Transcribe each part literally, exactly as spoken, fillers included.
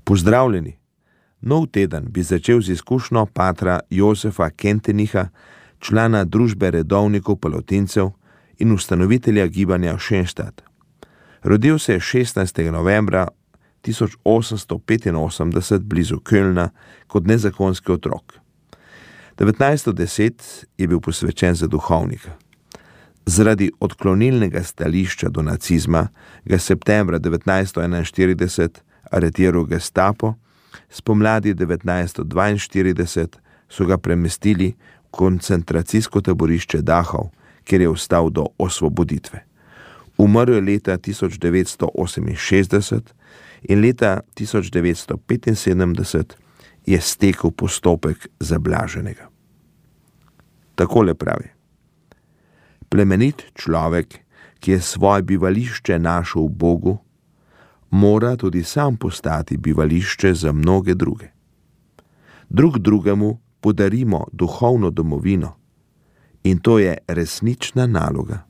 Pozdravljeni! Nov teden bi začel z izkušnjo patra Josefa Kentenicha, člana družbe redovnikov palotincev in ustanovitelja gibanja Šenštad. Rodil se je šestnajstega novembra tisoč osemsto petinosemdeset blizu Kölna kot nezakonski otrok. devetnajsto deset je bil posvečen za duhovnika. Zaradi odklonilnega stališča do nacizma ga septembra devetnajsto enainštirideset aretiral Gestapo, spomladi devetnajsto dvainštirideset so ga premestili v koncentracijsko taborišče Dachau, kjer je ostal do osvoboditve. Umrl je leta tisoč devetsto oseminšestdeset in leta tisoč devetsto petinsedemdeset je stekel postopek zablaženega. Takole pravi: plemenit človek, ki je svoje bivališče našel v Bogu, mora tudi sam postati bivališče za mnoge druge. Drug drugemu podarimo duhovno domovino in to je resnična naloga.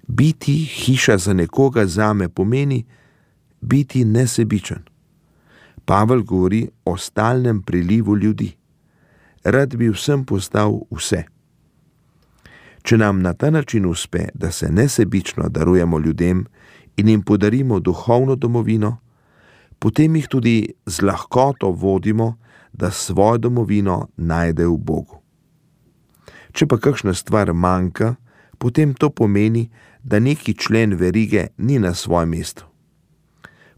Biti hiša za nekoga zame pomeni biti nesebičen. Pavel govori o stalnem prilivu ljudi. Rad bi vsem postal vse. Če nam na ta način uspe, da se nesebično darujemo ljudem in jim podarimo duhovno domovino, potem jih tudi z lahkoto vodimo, da svojo domovino najde v Bogu. Če pa kakšna stvar manjka, potem to pomeni, da neki člen verige ni na svojem mestu.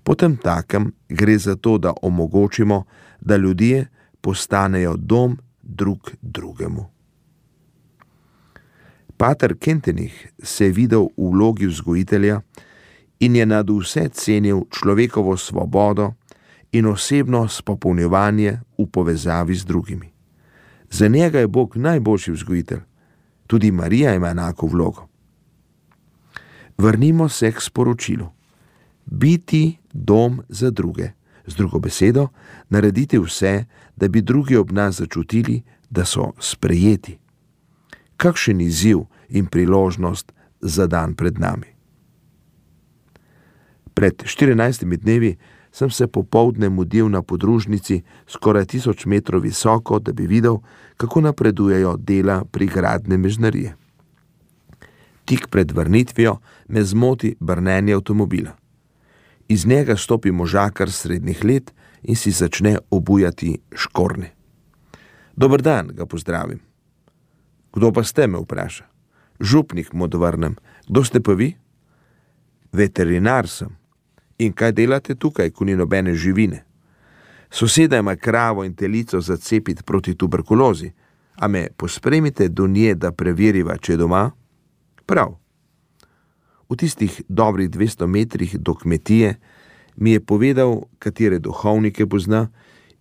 Potem takem gre za to, da omogočimo, da ljudje postanejo dom drug drugemu. Pater Kentenich se je videl v vlogi vzgojitelja in je nad vse cenil človekovo svobodo in osebno spopolnjevanje v povezavi z drugimi. Za njega je Bog najboljši vzgojitelj, tudi Marija ima enako vlogo. Vrnimo se k sporočilu. Biti dom za druge, z drugo besedo, narediti vse, da bi drugi ob nas začutili, da so sprejeti. Kakšen izziv in priložnost za dan pred nami. Pred štirinajstimi dnevi sem se popoldne mudil na podružnici skoraj tisoč metrov visoko, da bi videl, kako napredujejo dela prigradne mežnarije. Tik pred vrnitvijo me zmoti brnenje avtomobila. Iz njega stopi možakar srednjih let in si začne obujati škorne. Dober dan, ga pozdravim. Kdo pa ste, me vpraša. Župnik, mu odvrnem. Kdo ste pa vi? Veterinar sem. In kaj delate tukaj, ko ni nobene živine? Soseda ima kravo in telico za cepiti proti tuberkulozi, a me pospremite do nje, da preveriva, če je doma? Prav. V tistih dobrih dvesto metrih do kmetije mi je povedal, katere duhovnike pozna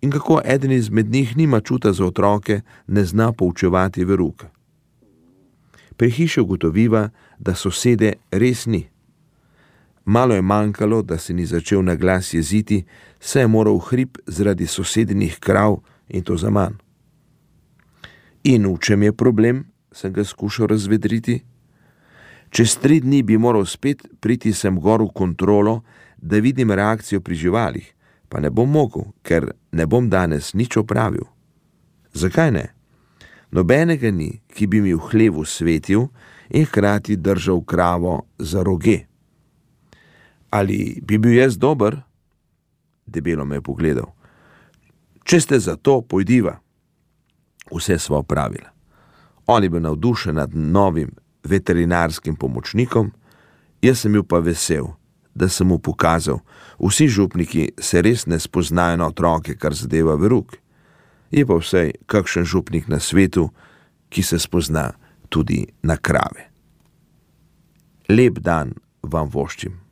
in kako eden izmed njih nima čuta za otroke, ne zna poučevati veruka. Pri hiši ugotoviva, da sosede res ni. Malo je manjkalo, da se ni začel na glas jeziti, saj je moral v hrib zaradi sosednih krav in to zaman. In v čem je problem, sem ga skušal razvedriti. Čez tri dni bi moral spet priti sem gor v kontrolo, da vidim reakcijo pri živalih, pa ne bom mogel, ker ne bom danes nič opravil. Zakaj ne? Nobenega ni, ki bi mi v hlevu svetil in hkrati držal kravo za roge. Ali bi bil jaz dober? Debelo me je pogledal. Če ste za to, pojdiva. Vse sva opravila. On je bil navdušen nad novim veterinarskim pomočnikom, jaz sem bil pa vesel, da sem mu pokazal, vsi župniki se res ne spoznajo na otroke, kar zadeva veruk. Je pa vsaj kakšen župnik na svetu, ki se spozna tudi na krave. Lep dan vam voščim.